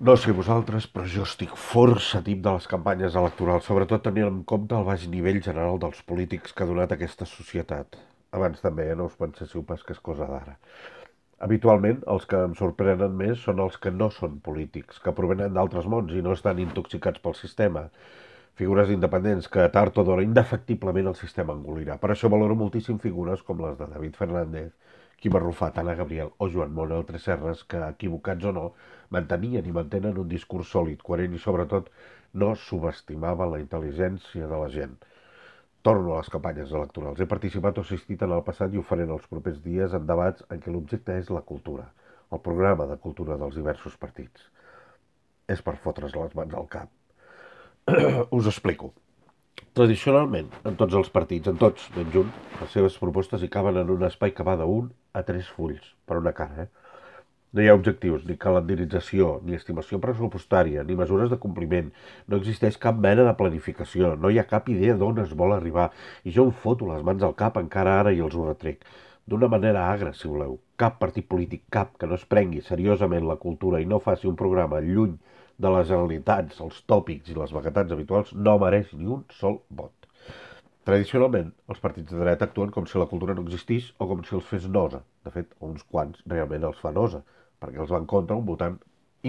No sé vosaltres, però jo estic força tip de les campanyes electorals, sobretot tenint en compte el baix nivell general dels polítics que ha donat aquesta societat. Abans també, no us penséssiu pas que és cosa d'ara. Habitualment, els que em sorprenen més són els que no són polítics, que provenen d'altres mons i no estan intoxicats pel sistema. Figures independents que tard o d'hora indefectiblement el sistema engolirà. Per això valoro moltíssim figures com les de David Fernández, Quim Arrufat, Anna Gabriel o Joan Manuel Tresserras que, equivocats o no, mantenien i mantenen un discurs sòlid, coherent i sobretot no subestimaven la intel·ligència de la gent. Torno a les campanyes electorals. He participat o assistit en el passat i ho faré en els propers dies en debats en què l'objecte és la cultura, el programa de cultura dels diversos partits. És per fotre's les mans al cap. Us explico. Tradicionalment, en tots els partits, en tots, menys un, les seves propostes hi caben en un espai que va d'un a tres fulls, per una cara, No hi ha objectius, ni calendarització, ni estimació pressupostària, ni mesures de compliment. No existeix cap mena de planificació, no hi ha cap idea d'on es vol arribar. I jo em foto les mans al cap encara ara i els ho retrec. D'una manera agra, si voleu. Cap partit polític, cap, que no es prengui seriosament la cultura i no faci un programa lluny de les generalitats, els tòpics i les vaguetats habituals, no mereix ni un sol vot. Tradicionalment, els partits de dreta actuen com si la cultura no existís o com si els fes nosa. De fet, uns quants realment els fa nosa, perquè els va en contra un votant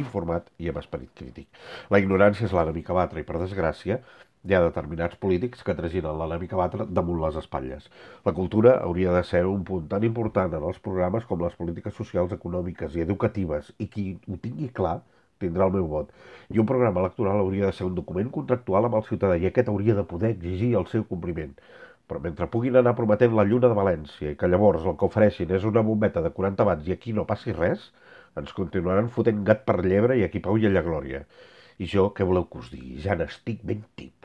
informat i amb esperit crític. La ignorància és l'enemica batre i, per desgràcia, hi ha determinats polítics que traginen l'enemica batre damunt les espatlles. La cultura hauria de ser un punt tan important en els programes com les polítiques socials, econòmiques i educatives, i qui ho tingui clar tindrà el meu vot. I un programa electoral hauria de ser un document contractual amb el ciutadà i aquest hauria de poder exigir el seu compliment. Però mentre puguin anar prometent la lluna de València i que llavors el que ofereixin és una bombeta de 40 watts i aquí no passi res, ens continuaran fotent gat per llebre i aquí pau i allà glòria. I jo, què voleu que us digui? Ja n'estic ben tip.